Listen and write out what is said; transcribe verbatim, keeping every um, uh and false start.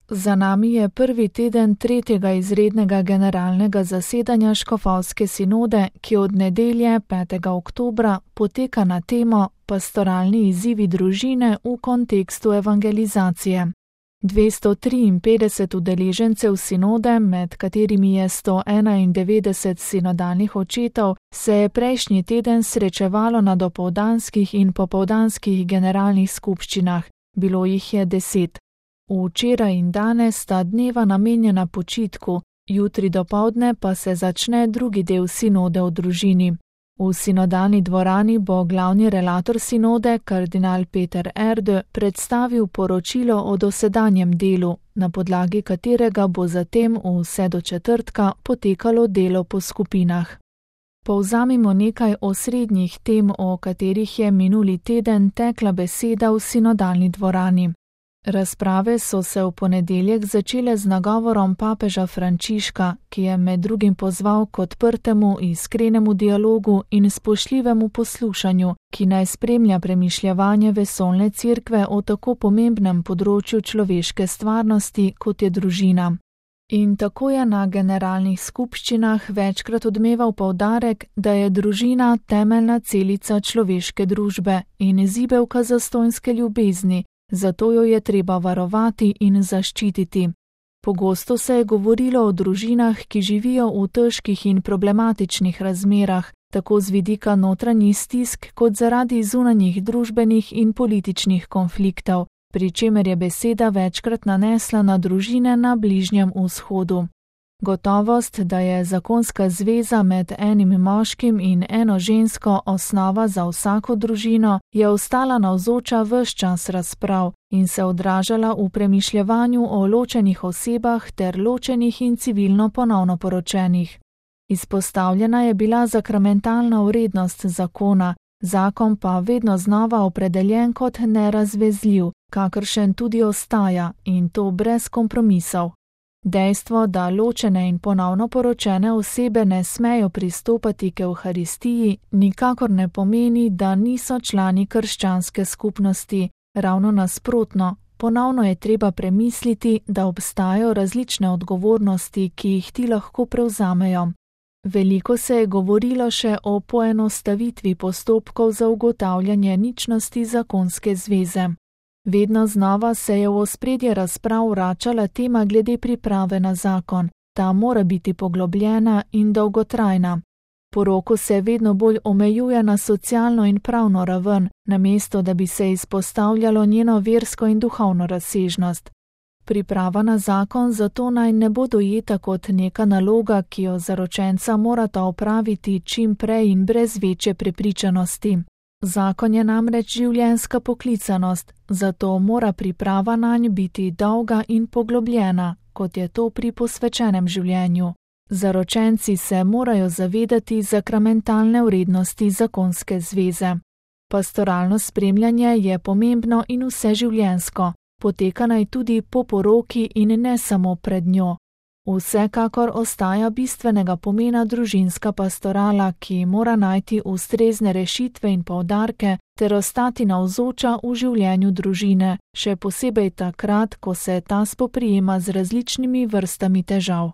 Za nami je prvi teden tretjega izrednega generalnega zasedanja Škofovske sinode, ki od nedelje petega oktobra poteka na temo Pastoralni izzivi družine v kontekstu evangelizacije. dvesto triinpetdeset udeležencev sinode, med katerimi je sto enaindevetdeset sinodalnih očetov, se je prejšnji teden srečevalo na dopoldanskih in popoldanskih generalnih skupščinah. Bilo jih je deset. Včeraj in danes sta dneva namenjena počitku, jutri dopoldne pa se začne drugi del sinode o družini. V sinodalni dvorani bo glavni relator sinode, kardinal Peter Erde, predstavil poročilo o dosedanjem delu, na podlagi katerega bo zatem vse do četrtka potekalo delo po skupinah. Povzamimo nekaj osrednjih tem, o katerih je minuli teden tekla beseda v sinodalni dvorani. Razprave so se v ponedeljek začele z nagovorom papeža Frančiška, ki je med drugim pozval k odprtemu, iskrenemu dialogu in spoštljivemu poslušanju, ki naj spremlja premišljevanje vesoljne cerkve o tako pomembnem področju človeške stvarnosti, kot je družina. In tako je na generalnih skupščinah večkrat odmeval poudarek, da je družina temeljna celica človeške družbe in zibelka zastonjske ljubezni, zato jo je treba varovati in zaščititi. Pogosto se je govorilo o družinah, ki živijo v težkih in problematičnih razmerah, tako z vidika notranjih stisk kot zaradi zunanjih družbenih in političnih konfliktov, pri čemer je beseda večkrat nanesla na družine na Bližnjem vzhodu. Gotovost, da je zakonska zveza med enim moškim in eno žensko osnova za vsako družino, je ostala navzoča ves čas razprav in se odražala v premišljevanju o ločenih osebah ter ločenih in civilno ponovno poročenih. Izpostavljena je bila sakramentalna vrednost zakona, zakon pa vedno znova opredeljen kot nerazvezljiv, kakršen tudi ostaja, in to brez kompromisov. Dejstvo, da ločene in ponovno poročene osebe ne smejo pristopati k Evharistiji, nikakor ne pomeni, da niso člani krščanske skupnosti. Ravno nasprotno, ponovno je treba premisliti, da obstajajo različne odgovornosti, ki jih ti lahko prevzamejo. Veliko se je govorilo še o poenostavitvi postopkov za ugotavljanje ničnosti zakonske zveze. Vedno znova se je v ospredje razprav vračala tema glede priprave na zakon. Ta mora biti poglobljena in dolgotrajna. Poroko se vedno bolj omejuje na socialno in pravno raven, namesto da bi se izpostavljalo njeno versko in duhovno razsežnost. Priprava na zakon zato naj ne bo dojeta kot neka naloga, ki jo zaročenca morata opraviti čim prej in brez večje prepričanosti. Zakon je namreč življenjska poklicanost, zato mora priprava nanj biti dolga in poglobljena, kot je to pri posvečenem življenju. Zaročenci se morajo zavedati sakramentalne vrednosti zakonske zveze. Pastoralno spremljanje je pomembno in vseživljenjsko, poteka naj tudi po poroki in ne samo pred njo. Vsekakor ostaja bistvenega pomena družinska pastorala, ki mora najti ustrezne rešitve in poudarke ter ostati navzoča v življenju družine, še posebej takrat, ko se ta spoprijema z različnimi vrstami težav.